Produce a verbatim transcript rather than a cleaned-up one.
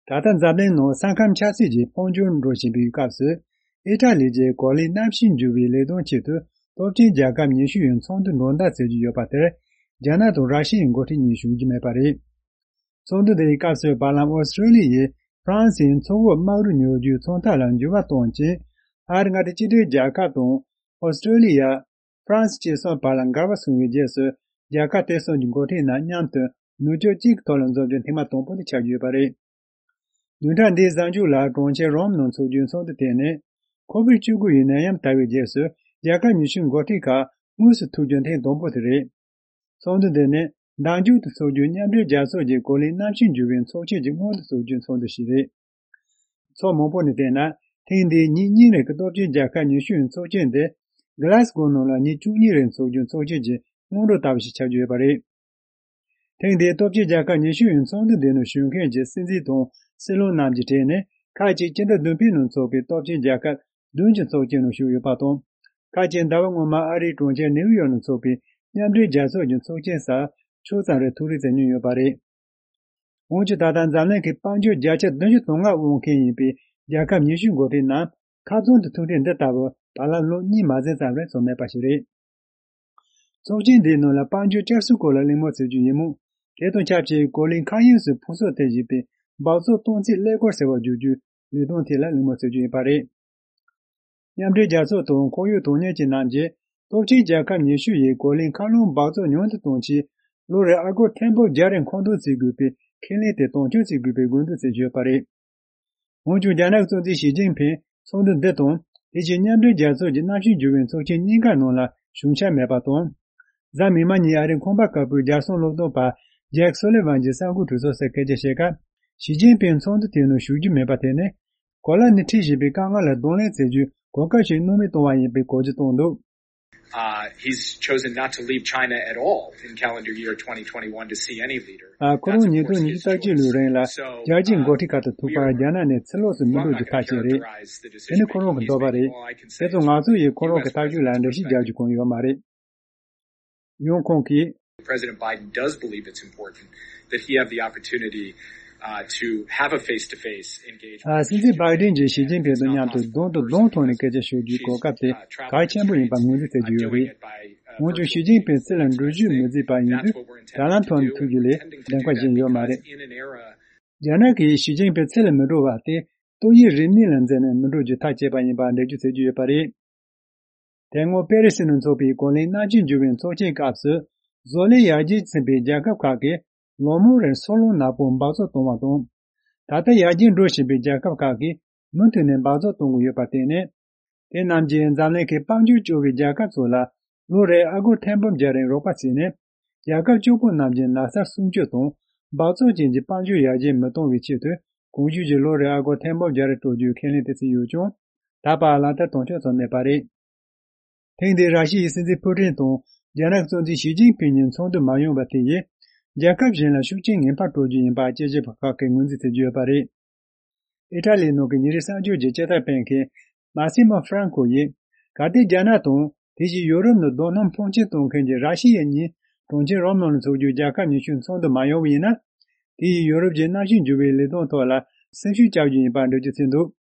ད་ལྟ་འཛམ་གླིང་ནང་ས་ཁམས་ཆབ་སྲིད་ཀྱི་དཔལ་འབྱོར་འགྲོ་བཞིན་པའི་སྐབས་སུ། ཨི་ཊ་ལི་རྒྱལ་གོ་ལའི་གནམ་གཤིས་འགྱུར་བའི་ལས་དོན་ཆེད་དུ་སྟོབས་ཆེན་རྒྱལ་ཁབ་ཉི་ཤུ་ཡི་ཚོགས་འདུ་འགྲོ་མདའ་བཙལ་རྒྱུ་ཡོད་པ་དེར། རྒྱ་ནག་དང་ར་ཤི་ཡའི་འགོ་ཁྲིད་གཉིས་ཞུགས་རྒྱུ་མེད་པ་རེད། ཚོགས་འདུ་དེའི་སྐབས་སུ། བར་ལམ་ཨོ་སི་ཀྲོ་ལི་ཡས་ཧྥ་རན་སིའི་མཚོ་འོག་དམག་རུ་ཉོ་རྒྱུའི་ཚོང་རྟགས་ལ་འགྱུར་བ་གཏོང་རྐྱེན། ཨ་རི་མངའ་སྡེ་གཅིག་སྒྲིལ་རྒྱལ་ཁབ་དང་ཨོ་སི་ཀྲོ་ལི་ཡ། ཧྥ་རན་སི་བཅས་གསུམ་བར་ལ་འགལ་བ་སོང་བའི་རྗེས་སུ། རྒྱལ་ཁབ་དེ་གསུམ་གྱི་འགོ་ཁྲིད་རྣམས་མཉམ་དུ་ནུབ་ཕྱོགས་གཅིག་གི་ཐོག་ལ་འཛོམས་རྒྱུ་ཐེངས་མ་དང་པོ་དེ་ཆགས་རྒྱུ་ཡོད་པ་རེད། བདུན་ཕྲག་འདིའི་གཟའ་མཇུག་ལ་གྲོང་ཁྱེར་རོམ་ནང་འཚོགས་རྒྱུའི་ཚོགས་འདུ་དེ་ནི། ཁོ་བིད་བཅུ་དགུ་ཡི་ནད་ཡམས་དར་བའི་རྗེས་སུ། རྒྱལ་ཁབ་ཉི་ཤུའི་འགོ་ཁྲིད་ཁག་དངོས་སུ་ཐུག་རྒྱུ་ཐེངས་དང་པོ་དེ་རེད། ཚོགས་འདུ་འདི་ནི། མདང་མཇུག་ཏུ་འཚོགས་རྒྱུའི་མཉམ་འབྲེལ་རྒྱལ་ཚོགས་ཀྱི་གོ་ལའི་གནམ་གཤིས་འགྱུར་བའི་ཚོགས་ཆེན་གྱི་སྔོན་དུ་འཚོགས་རྒྱུའི་ཚོགས་འདུ་ཞིག་རེད། ཚོགས་མང་པོ་ནས་བལྟས་ན། ཐེངས་འདིའི་ཉིན་གཉིས་རིང་གི་སྟོབས་ཆེན་རྒྱལ་ཁབ་ཉི་ཤུ་ཡི་ཚོགས་ཆེན་དེ། གྷི་ལཱ་སྒོ་ནང་ལ་ཉིན་བཅུ་གཉིས་རིང་འཚོགས་རྒྱུའི་ཚོགས་ཆེན་གྱི་སྔོན་འགྲོ་ལྟ་བུ་ཞིག་ཆགས་རྒྱུ་ཡོད་པ་རེད། ཐེངས་འདིའི་སྟོབས་ཆེན་རྒྱལ་ཁབ་ཉི་ཤུ་ཡི་ཚོགས་འདུ་འདི་ནང་ཞུགས་མཁན་གྱི་སྲིད་འཛིན་དང་སྲིད་བློན་རྣམས་ཀྱི་གྲས་ནས། ཁག་ཅིག་སྤྱི་ཟླ་བདུན་པའི་ནང་འཚོགས་པའི་སྟོབས་ཆེན་རྒྱལ་ཁབ་བདུན་གྱི་ཚོགས་ཆེན་ནང་ཞུགས་ཡོད་པ་དང་། ཁག་ཅིག་ཟླ་བ་སྔོན་མ་ཨ་རིའི་གྲོང་ཁྱེར་ནེའུ་ཡོག་ནང་འཚོགས་པའི་མཉམ་འབྲེལ་རྒྱལ་ཚོགས་ཀྱི་ཚོགས་ཆེན་སར་ཕྱོགས་ཙམ་རེ་ཐུགས་རེ་བསྐྱེད་མྱོང་ཡོད་པ་རེད། འོན་ཀྱང་། ད་ལྟ་འཛམ་གླིང་གི་དཔལ་འབྱོར་བརྒྱ་ཆ་བདུན་ཅུ་དོན་ལྔ་དབང་མཁན་ཡིན་པའི་རྒྱལ་ཁབ་ཉི་ཤུའི་འགོ་ཁྲིད་རྣམས་ཁ་ཚོན་དུ་ཐུག་འཕྲད་འདི་ལྟ་བུ་བར་ལམ་ལོ་གཉིས་མ་ཟིན་ཙམ་རེ་སོང་མེད་པ་ཞིག་རེད། ཚོགས་ཆེན་འདིའི་ནང་ལ་དཔལ་འབྱོར་བསྐྱར་གསོའི་སྐོར་ལ་གླེང་མོལ་བྱེད་རྒྱུ་ཡིན་མོད། དེ་དང་ཆབས་ཅིག་གོ་ལའི་མཁའ་དབྱིངས་སུ་ཕུང་གསོག་ཐེབས་བཞིན་པའི་སྦགས་བཙོག་གཏོང་རྩིས་ཀླད་ཀོར་ཟེར་བ་བསྒྱུར་རྒྱུའི་ལས་དོན་ཐད་ལ་གླེང་མོལ་བྱེད་རྒྱུ་ཡིན་པ་རེད། མཉམ་འབྲེལ་རྒྱལ་ཚོགས་དང་ཁོར་ཡུག་དོན་གཉེར་ཅན་རྣམས་ཀྱིས། སྟོབས་ཆེན་རྒྱལ་ཁབ་ཉི་ཤུ་ཡིས་གོ་ལའི་མཁའ་རླུང་འབག་བཙོག་ཉུང་དུ་གཏོང་ཆེད། ལོ་རེར་ཨ་སྒོར་ཐེར་འབུམ་བརྒྱ་རེ་མཁོ་འདོན་བྱེད་དགོས་པའི་ཁས་ལེན་དེ་དོན་འཁྱོལ་བྱེད་དགོས་པའི་དགོས་འདུན་བྱེད་ཀྱི་ཡོད་པ་རེད། འོན་ཀྱང་། རྒྱ་ནག་གི་གཙོ་འཛིན་ཞི་ཅིན་ཕིང་ཚོགས་འདུ་འདི་དང་། དེ་བཞིན་མཉམ་འབྲེལ་རྒྱལ་ཚོགས་ཀྱི་གནམ་གཤིས་འགྱུར་བའི་ཚོགས་ཆེན་གཉིས་ཀ་ནང་ལ་ཞུགས་འཆར་མེད་པ་དང་། གཟའ་མིག་དམར་ཉིན་ཨ་རིའི་ཁང་པ་དཀར་པོའི་རྒྱལ་སྲུང་སློབ་སྟོན་པ་ཇེག་སོ་ལི་ཝན་གྱིས་གསར་འགོད་གྲོས་ཚོགས་སུ་སྐད་ཆ་བཤད་སྐབས། ཞི་ཅིན་ཕིང་ཚོགས་འདུ་དེའི་ནང་ཞུགས་རྒྱུ་མེད་པ་དེ་ནི། གོ་ལ་ནས་འཕྲད་བཞིན་པའི་དཀའ་ངལ་ལ་གདོང་ལེན་བྱེད་རྒྱུའི་གོ་སྐབས་ཤིག་གནོད་མེད་གཏོང་བ་ཡིན་པའི་གོ་བརྗོད་བཏང་འདུག Uh, he's chosen not to leave China at all in calendar year twenty twenty-one to see any leader. ཨ། ཁོ་རང་ཉིས་སྟོང་ཉི་ཤུ་རྩ་གཅིག་ལོའི་རིང་ལ་རྒྱལ་སྤྱིའི་འགོ་ཁྲིད་ཁག་ཏུ་ཐུག་པར་རྒྱ་ནག་ནས་ཕྱི་ལོགས་སུ་མི་འགྲོ་རྒྱུ་ཐག་བཅད་རེད། དེ་ནི་ཁོ་རང་གི་འདོད་པ་རེད། དེ་ཚོ་ང་ཚོ་ཡིས་ཁོ་རང་གི་ཐག་གཅོད་ལ་འགྲེལ་བཤད་རྒྱག་རྒྱུ་གང་ཡོད་མ་རེད། ཡང་ཁོང་གིས། President Biden does believe it's important that he have the opportunity, uh, to have a face-to-face engagement. ཨ། སྲིད་འཛིན་བྷའི་ཏིན་གྱིས་ཞི་ཅིན་ཕིང་དང་མཉམ་དུ་གདོང་དང་གདོང་ཐོག་ནས་སྐད་ཆ་ཤོད་རྒྱུའི་གོ་སྐབས་དེ་གལ་ཆེན་པོ་ཡིན་པ་ངོས་འཛིན་བྱེད་ཀྱི་ཡོད་རེད། འོན་ཀྱང་ཞི་ཅིན་ཕིང་ཕྱི་ལ་འགྲུལ་བཞུད་མི་མཛད་པ་ཡིན་དུས། དྲ་ལམ་ཐོག་ནས་ཐུག་རྒྱུ་ལས་འགྲན་ཁ་གཞན་ཡོད་མ་རེད། རྒྱ་ནག་གིས་ཞི་ཅིན་ཕིང་ཕྱི་ལ་མི་འགྲོ་བ་དེ། ཏོག་དབྱིབས་རིམས་ནད་ལ་འཛེམས་ནས་མི་འགྲོ་རྒྱུ་ཐག་བཅད་པ་ཡིན་པ་འགྲེལ་བརྗོད་བྱེད་ཀྱི་ཡོད་པ་རེད། དེ་སྔོན་པེ་རི་སི་ནང་འཚོགས་པའི་གོ་ལའི་གནམ་གཤིས་འགྱུར་བའི་ཚོགས་ཆེན་སྐབས་སུ། བཟོ་ལས་ཡར་རྒྱས་ཕྱིན་པའི་རྒྱལ་ཁབ་ཁག་གིས་ལོ་མང་རིང་སོལ་རླུང་ནག་པོ་འབག་བཙོག་གཏོང་བ་དང་། ད་ལྟ་ཡར་རྒྱས་འགྲོ་བཞིན་པའི་རྒྱལ་ཁབ་ཁག་གིས་མུ་མཐུད་ནས་འབག་བཙོག་གཏོང་གི་ཡོད་པར་བརྟེན་ནས། དེ་རྣམས་ཀྱིས་འཛམ་གླིང་གི་དཔལ་འབྱོར་སྐྱོ་བའི་རྒྱལ་ཁབ་ཚོ་ལ་ལོ་རེར་ཨ་སྒོར་ཐེར་འབུམ་བརྒྱ་རིང་རོགས་པ་བྱས་ནས། རྒྱལ་ཁབ་སྐྱོ་པོ་རྣམས་ཀྱི་ནགས་ཚལ་སྲུང་སྐྱོབ་དང་། འབག་བཙོག་ཅན་གྱི་དཔལ་འབྱོར་ཡར་རྒྱས་མི་གཏོང་བའི་ཆེད་དུ། གོང་ཞུས་ཀྱི་ལོ་རེར་ཨ་སྒོར་ཐེར་འབུམ་བརྒྱ་རེ་སྤྲོད་རྒྱུའི་ཁས་ལེན་དེ་བྱས་ཡོད་ཀྱང་། ད་བར་ལག་བསྟར་དོན་འཁྱོལ་བྱུང་མེད་པ་རེད། ཐེངས་འདིའི་ར་ཤི་ཡའི་སྲིད་འཛིན་ཕུ་ཏིན་དང་རྒྱ་ནག་གི་གཙོ་འཛིན་ཞི་ཅིན་ཕིང་གཉིས་ཚོགས་འདུར་མ་ཡོང་བ་དེ་ཡིས། རྒྱལ་ཁབ་གཞན་ལ་ཤུགས་རྐྱེན་ངན་པ་སྤྲོད་རྒྱུ་ཡིན་པ་དཔྱད་ཞིབ་པ་ཁག་གིས་ངོས་འཛིན་བྱེད་ཀྱི་ཡོད་པ་རེད། ཨི་ཊ་ལིའི་ནང་གི་ཉིན་རེའི་གསར་འགྱུར་གྱི་དཔྱད་བརྡར་སྤེལ་མཁན་མཱ་སི་མོ་ཧྥ་རན་ཀོ་ཡིས། གལ་ཏེ་རྒྱ་ནག་དང་། དེ་བཞིན་ཡོ་རོབ་ནང་རྡོ་སྣུམ་འཕོངས་གཅོག་གཏོང་མཁན་གྱི་ར་ཤི་ཡ་གཉིས་གྲོང་ཁྱེར་རོམ་ནང་ལ་འཚོགས་རྒྱུའི་རྒྱལ་ཁབ་ཉི་ཤུའི་ཚོགས་འདུར་མ་ཡོང་བ་ཡིན་ན། དེ་ཡིས་ཡོ་རོབ་ཀྱི་གནམ་གཤིས་འགྱུར་བའི་ལས་དོན་ཐོག་ལ་སེམས་ཤུགས་བཅག་རྒྱུ་ཡིན་པ་འགྲེལ་བརྗོད་བྱས་འདུག